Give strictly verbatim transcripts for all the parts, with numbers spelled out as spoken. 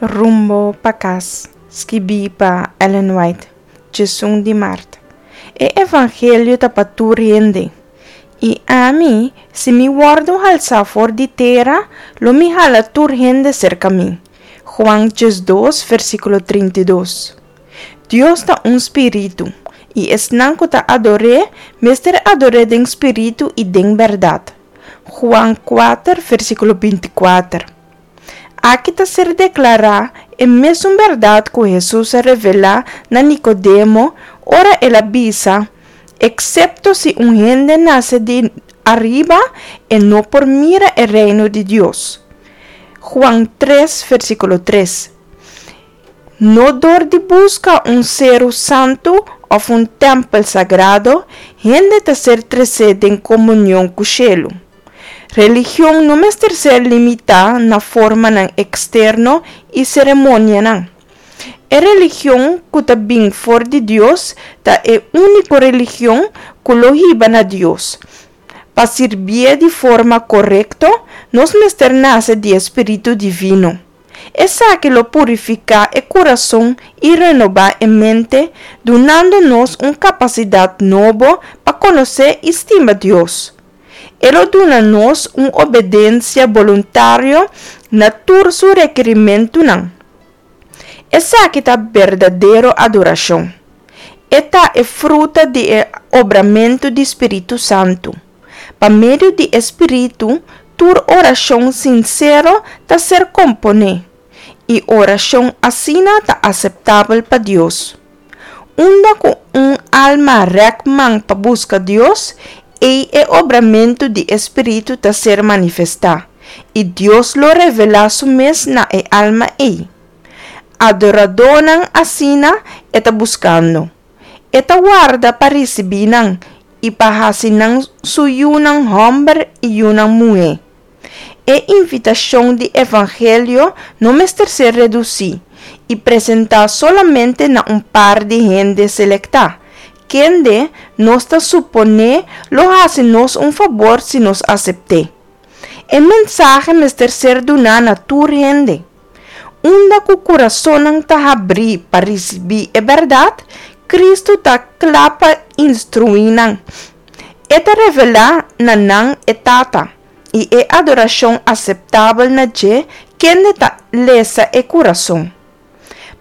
Rumbo pa Kas, skibí pa Ellen White, diesun di mart. E evangelio ta pa tur hende. I ami, si mi wòrdu halsá for di tera, lo mi hala tur hende serka mi. Juan dos, versíkulo trinta i dos. Dios ta un spiritu, i esnan ku ta ador'é mester ador'é den spiritu i den bèrdat. Juan kuater, versíkulo binti kuater. Aki ta ser deklará e mesun bèrdat ku Hesus a revelá na Nikodemo ora el a bisa, Eksepto si un hende nase di ariba, e no por mira e Reino di Dios. Juan tres, versíkulo tres. No dor di buska un seru santu òf un tèmpel sagrado, hende ta ser tresé den komunion ku shelu. Religion no mester ser limitá na formanan eksterno i seremonianan. E religion ku ta bin for di Dios ta e úniko religion ku lo hiba na Dios. Pa sirbié di forma korekto, nos mester nase di e spiritu divino. Esaki lo purifiká e kurason i renobá e mente, dunando nos un kapasidat nobo pa konosé i stima Dios. E lo duna nos un obedensia boluntario na tur su rekerimentunan. Esaki ta berdadero adorashon. E ta e fruta di e obramentu di spiritu santu. Pa medio di e spiritu, tur orashon sinsero ta ser komponé, i orashon asina ta aseptabel pa Dios. Unda ku un alma rèk man pa buska Dios, ei e obramentu di e spiritu ta ser manifestá, i Dios lo revelá su mes na e alma ei. Adoradónan asina e ta buskando. E ta warda pa risibí nan i pa hasi nan su yunan hòmber i yunan muhé. E invitashon di evangelio no mester ser redusí i presentá solamente na un par di hende selektá, kende nos ta suponé lo hasi nos un fabor si nos asept'é. E mensahe mester ser duná na tur hende. Unda ku kurasonnan ta habrí pa risibí e bèrdat, Kristu ta kla pa instruí nan. E ta revelá na nan e Tata i e adorashon aseptabel na dje kende ta lesa e kurason.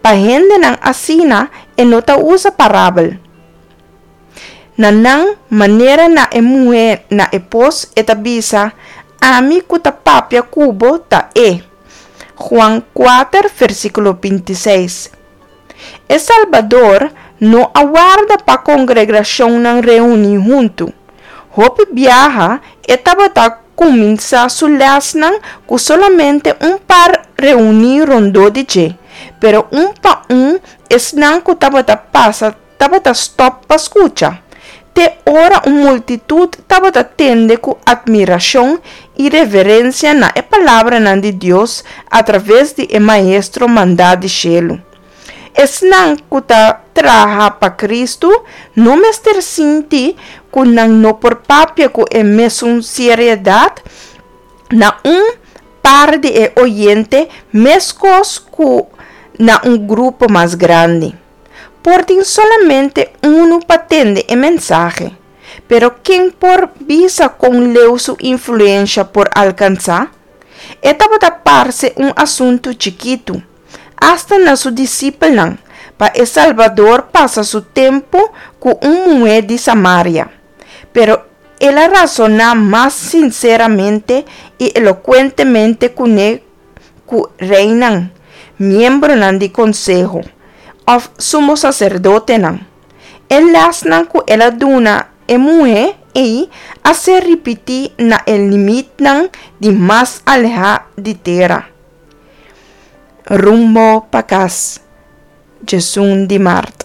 Pa hendenan asina e no ta usa parabel. Na nan, manera na e muhé na e pos, e ta bisa, Ami ku ta papia ku bo ta e. Juan kuater, versíkulo binti seis. E Salbador no a warda pa kongregashonnan reuní huntu. Hopi biaha e tabata kuminsá su lèsnan ku solamente un par reuní rondó di dje, pero un pa un esnan ku tabata pasa tabata stòp pa skucha, te ora un multitut tabata tende ku atmirashon i reverensia na e palabranan di Dios atraves di e Maestro mandá di shelu. Esnan ku ta traha pa Kristu no mester sinti ku nan no por papia ku e mesun seriedat na un par di e oyente meskos ku na un grupo mas grandi. Por tin solamente unu pa tende e mensahe, pero ken por bisa kon leu su influensha por alkansá? E tabata parse un asuntu chikitu, asta na su disipelnan, pa e Salbador pasa su tempu ku un muhé di Samaria. Pero el a rasoná mas sinseramente i elokuentemente kuné ku reinan, miembronan di konseho, òf sumo saserdotenan. E lèsnan ku el a duna e muhé ei a ser ripití na e limitnan di mas alehá di tera. Rumbo pa kas, djesun di mart.